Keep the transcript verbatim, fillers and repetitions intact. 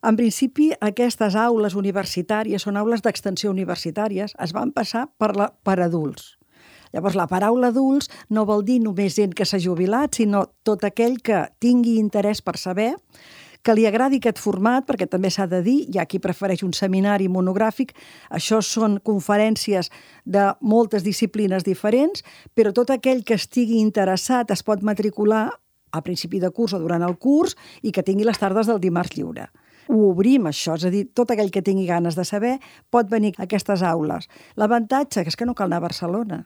En principi, aquestes aules universitàries són aules d'extensió universitàries, es van passar per, la, per adults. Llavors, la paraula adults no vol dir només gent que s'ha jubilat, sinó tot aquell que tingui interès per saber, que li agradi aquest format, perquè també s'ha de dir, hi ha qui prefereix un seminari monogràfic, això són conferències de moltes disciplines diferents, però tot aquell que estigui interessat es pot matricular a principi de curs o durant el curs i que tingui les tardes del dimarts lliure. Ho obrim, això, és a dir, tot aquell que tingui ganes de saber pot venir a aquestes aules. L'avantatge és que no cal anar a Barcelona.